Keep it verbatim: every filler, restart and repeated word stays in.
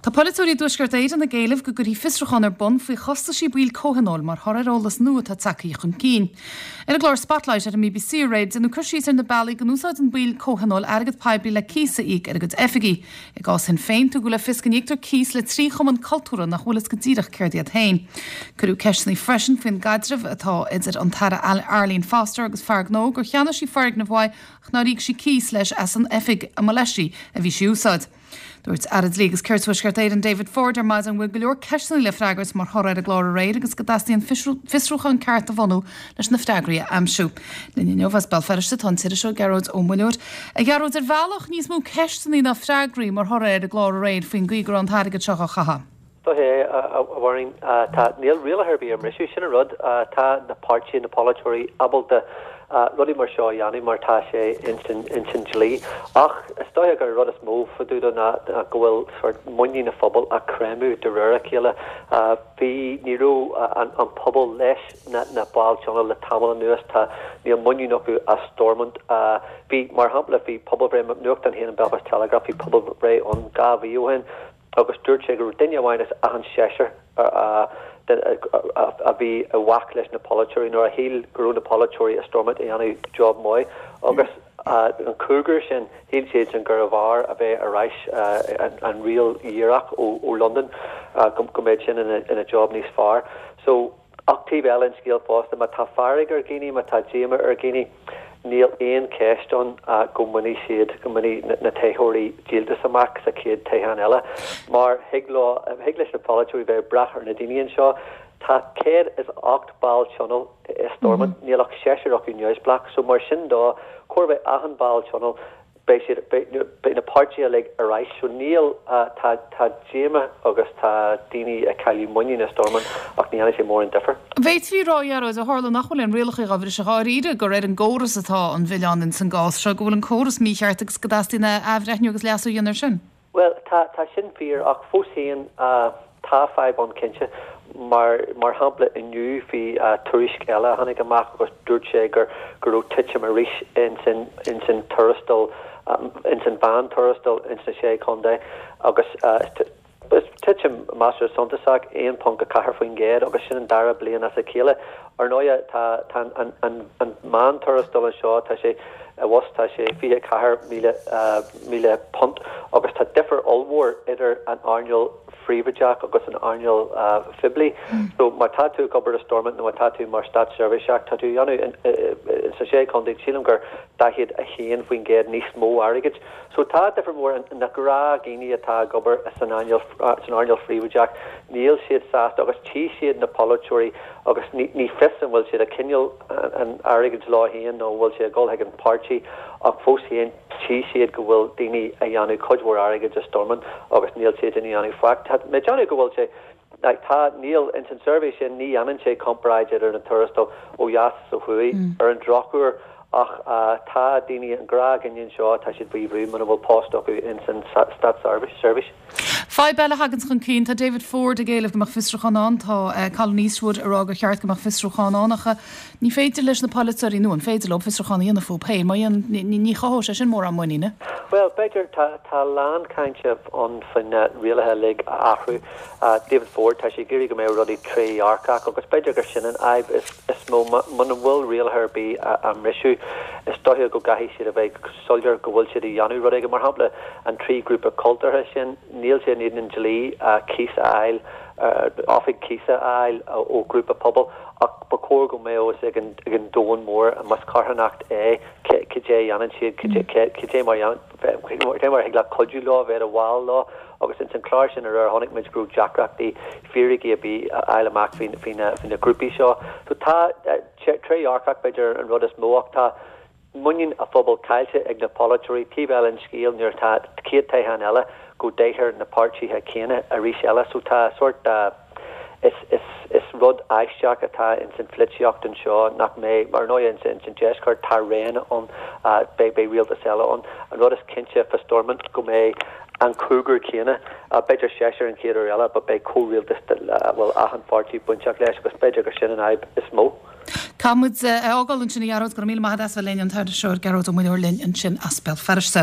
Tá polaiteoirí i dTuaisceart Éireann ag éileamh go gcuirfí fiosrúchán ar bun faoi chostaisí baill comhthionóil mar thoradh ar eolas nua atá tagtha chun cinn. Ar an gclár Spotlight ar an B B C aréir, déanadh cur síos ar na bealaí go n-úsáideann baill comhthionóil airgead poiblí le cíos a íoc ar a gcuid oifigí. I gcás Shinn Féin, tugadh le fios go n-íoctar cíos le trí chumann cultúrtha nach bhfuil fhios go díreach céard iad féin. Cuireadh ceisteanna freisin faoin gcaidreamh atá idir an tAire Arlene Foster agus fear gnó gur cheannaigh sí foirgneamh uaidh ach nár íoc sí cíos leis as an oifig a mba leis a bhí sí a úsáid. Dúirt Aire Dlí agus Cirt Thuaisceart Éireann David Ford ar maidin go bhfuil go leor ceisteanna le freagairt mar thoradh ar an gclár aréir agus go dteastaíonn fiosrúchán ceart a bhunú leis na freagraí a aimsiú. Linn inniu as Béal Feirste tá an t-iriseoir Gearóid Ó Muilleoir. A Ghearóid, ar bhealach níos mó ceisteanna ná freagraí mar thoradh ar an gclár aréir faoin gcaoi go raibh an t-airgead seo á chaitheamh. é a bhhain tá níl rialacha ar bith á mbriseadh sin an rud. Tá na páirtithe, na polaiteoirí ábalta rudaí mar seo a dhéanamh mar tá sé insan dlí, ach is dóigh gur rud is mó fadúda ná go bhfuil sort muinín na phobal á creimeadh de réir a chéile. Bhí ní raibh an, an pobal leis na, na baill tionóil le tamall anuas. Tá níl muinín acu as Stormont. Bhí, mar shampla, bhí pobalbhreith nuachtán féin, an Belfast Telegraph, bhí pobalbhreith ann dhá mhí ó shin agus dúirt sé go raibh duine amháin as achan seisear a bhí i bhfách leis na polaiteoirí nuair a shíl go raibh na polaiteoirí i Stormont a dhéanamh job maith, agus an cúigear sin shíl siad sin gurbh fhearr a bheith ar ais an riail dhíreach ó, ó London, go go mbeidh sin ina, ina job níos fearr. So ach taobh eile an scéal fosta, má tá fearg ar dhaoine, má tá díomá ar dhaoine, níl aon cheist ann go mbainfidh siad go mbainfidh na toghthóirí díoltas amach sa chéad toghchán eile, mar thig leo thig leis na polaiteoirí bheith brath ar na daoine anseo. Tá céad is ocht ball tionóil i Stormont, níl ach seisear acu neamhspleách, so mar sin dó chóir bheith achan ball tionóil beidh siad beidh na páirtithe uilig ar ais. So níl tá tá díomá agus tá daoine ag cailleadh muinín i Stormont, ach ní dhéanfaidh sé mórán difear. B'fhéidir a rá, a Ghearóid, ó tharla nach bhfuil aon rialacha á bhriseadh dháiríre, gur ar an gcóras atá an milleán in san gcás seo, go bhfuil an córas mícheart agus go dteastaíonn athbhreithniú agus leasú a dhéanamh air sin. Well, tá tá sin fíor, ach fós féin tá fadhb ann cinnte. mar mar shampla, inniu bhí tuairisc eile a tháinig amach agus dúirt sé gur go raibh titim arís insan insan tuarastal, insan mheán-tuarastal ins na sé chontae, agus titim measartha suntasach, aon ponc a ceathair faoin gcéad, agus sin an dara bliain as a chéile. Ar ndóigh, tá tá an an an meán-tuarastal anseo, tá sé i bhfos tá sé fiche ceathair míle míle punt, agus tá difear ollmhór idir an earnáil phríobháideach agus an earnáil phoiblí. So má tá tú ag obair i Stormont nó má tá tú mar státseirbhíseach, tá tú dhéanamh sa sé chontae, sílim gur daichead a haon faoin gcéad níos mó airgid. So tá difear mór. Na gnáthdhaoine atá ag obair san earnáil san earnáil phríobháideach, níl siad sásta agus tchí siad na polaiteoirí agus ní ní fios an bhfuil siad ag coinneáil an airgid leo féin nó bhfuil sé ag dul chuig an páirtí, ach fós féin tchí siad go bhfuil daoine a dhéanamh cuid mhór airgid i Stormont agus níl siad ina dhéanamh faic. Tá mé déanamh go bhfuil sé like, tá níl ins an suirbhé sin, ní dhéanann sé comparáid idir na tuarastail ó dheas is ó thuaidh ar an drochuair, ach uh, tá daoine, an gnáthdhuine anseo, tá siad faoi bhrú muna bhfuil post acu ins an státseirbhís. Fadhb eile a thagann chun cinn, tá David Ford ag éileamh go mbeadh fiosrúchán ann, tá uh, Colin Eastwood ag rá gur cheart go mbeadh fiosrúchán ann, ach ní féidir leis na polaiteoirí nó an féidir leo fiosrúchán a dhéanamh fúthu féin, mar ní chothódh sé sin mórán muiníne. Well, b'fhéidir tá tá lán cainte ann faoin rialacha uilig a athrú. Uh, David Ford, tá sé ag iarraidh go mbeadh rudaí trédhearcach, agus b'fhéidir gur sin an fhadhb is, is mó. Muna bhfuil rialacha ar bith á mbriseadh, is dóiche go gcaithfidh siad a bheith soiléir go bhfuil siad a dhéanamh rud éigin. Mar shampla, an trí grúpa cultúrtha sin, níl sé in éadan an dlí uh, cíos a fháil, uh, oifig cíosa a fháil uh, ó grúpa pobail, ach ba chóir go mbeadh ag an, ag an domhan mór más carthanacht é cad é dhéanann siad, cad é mar cé mar thig le cuidiú leo, bheith i bhfáil leo. Agus ins an chlár sin ar chonaic muid go raibh deacrachtaí fíricí a bhí a fháil amach faoi faoi na faoi na grúpaí seo. So tá trédhearcach b'fhéidir an rud is mó, ach tá muinín a phobal caillte ag na polaiteoirí. Taobh eile an scéil, nuair atá céad toghchán eile go dtoghfar na páirtithe céanna arís eile, so tá sort uh, is, is, is rud aisteach atá ins an pholaitíocht anseo nach mbeidh mar ndóigh ins an deisceart tá réanna ann, uh, beidh beidh rialtas eile ann. An rud is cinnte fá Stormont go mbeidh an cúigear céanna, uh, b'fhéidir seisear an chéad uair eile, ba beidh comhrialtas uh, bhfuil achan pháirtí bainteach leis, agus b'fhéidir gur sin an fhadhb is mó. Caithfimid é a fhágáil ansin, a Ghearóid. Go raibh míle maith agat as bheith linn, an t-iriseoir Gearóid Ó Muilleoir linn ansin as Béal Feirste.